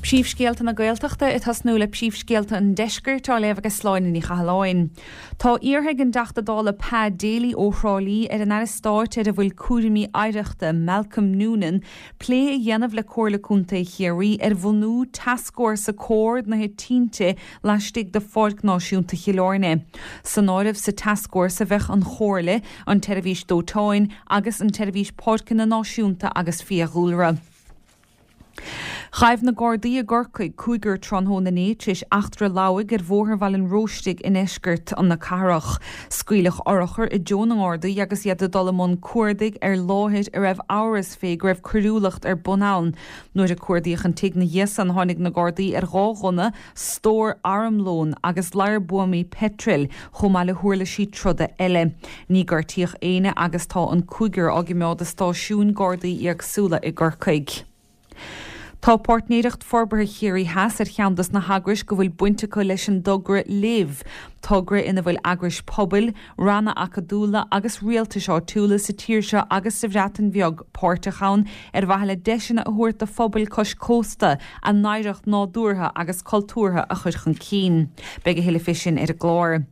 Príomhscéalta na Gaeltachta ag tosnú le príomhscéalta an Deiscirt á léamh ag Sláine Ní Chathalláin. Tá iarrtha ag an dTeachta Dála Pa Daly ó Thrá Lí ar an Aire Stáit ar a bhfuil cúraimí oidhreachta, Malcolm Noonan, plé a dhéanamh le Comhairle Contae Chiarraí ar bhunú tascfhórsa comhordaithe tinte laistigh de Pháirc Náisiúnta Chill Airne. San áireamh sa tascfhórsa bheadh an Chomhairle, an tSeirbhís Dóiteáin agus an tSeirbhís Páirceanna Náisiúnta agus Fiadhúlra. Ghaibh na Gardaí i gCorcaigh cúigear tráthnóna inné tar éis eachtra lamhaigh ar Bhóthar Bhaile an Róistigh i ndeisceart na cathrach. Scaoileadh urchar i dtreo na nGardaí agus iad ag dul i mbun cuardaigh ar láthair a raibh amhras fé go raibh coiriúlacht ar bun ann. Nuair a cuardaíodh an tigh na dhiaidh san tháinig na Gardaí ar 2 ghunna, stór armlóin agus ladhar buamaí peitril, chomh maith le huirlisí troda eile. Ní gortaíodh éinne agus tá an cúigear á gcimeád i stáisiúin Gardaí éagsúla i gCorcaigh. Tá Páirtnéireacht Forbartha Chiarraí Theas ar cheann dos na heagrais go bhfuil baint acu leis an dtogra Live, togra ina bhfuil eagrais pobail, ranna acadúla agus rialtais áitiúla sa tír seo agus sa Bhreatain Bheag páirteach ann ar mhaithe le deiseanna a thabhairt do phobail cois cósta a n-oidhreacht nádúrtha agus cultúrtha a chur chun cinn. Beidh a thuilleadh fé sin ar an gclár.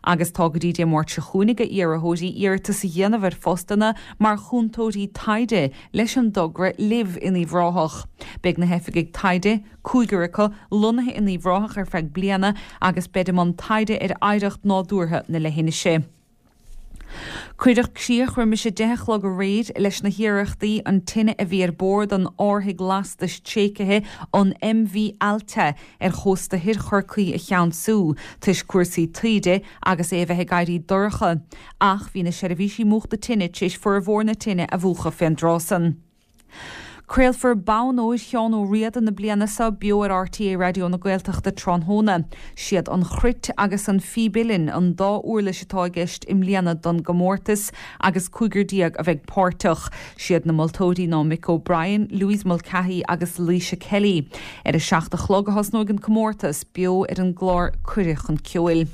Agus tá go dtí Dé Máirt seo chugainn ag iarrthóirí iarratas a dhéanamh ar phostanna mar chúntóirí taighde leis an dtogra Live in Uíbh Ráthach. Beidh na hoifigigh taighde, cúigear acu, lonnaithe in Uíbh Ráthach ar feadh bliana agus beid i mbun taighde ar oidhreacht nádúrtha na leithinise. Cuireadh críoch roimis a 10 a chlog aréir leis na hiarrachtaí an tine a bhí ar bord an árthaigh lastais tréigthe an MV Altea ar chósta thoir Chorcaí a cheansú toisc cúrsaí taoide agus é a bheith ag éirí dorcha. Ach bhí na seirbhísí múchta tine tar éis formhór na tine a mhúchadh fén dtráth san. Craolfar Bonn Óir Sheán Ó Riada na bliana seo beo ar RTÉ Raidió na Gaeltachta tráthnóna. Siad an chruit agus an phíb uilleann an dá uirlis atá i gceist i mbliana don gcomórtas agus cúigear a bheidh páirteach. Siad na moltóirí ná Mick O'Brien, Louise Mulcahy agus Laoise Kelly. Ar a 7 a chlog a thosnóidh an comórtas, beo ar an gclár Cuireadh chun Ceoil.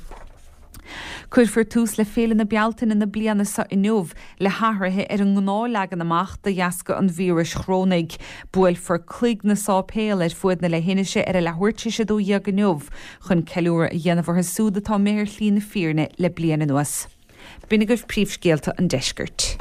Cuirfear tús le Féile na Bealtaine na bliana seo inniu le hathruithe ar an ngnáthleagan amach de dheasca an víris chorónaigh. Buailfear cloig na sáipéal ar fuaid na leithinise ar a leathuair tar éis 12 inniu chun ceiliúradh a dhéanamh orthu siúd atá imithe ar shlí na fírinne le bliain anuas. B'in agaibh príomhscéalta an deiscirt.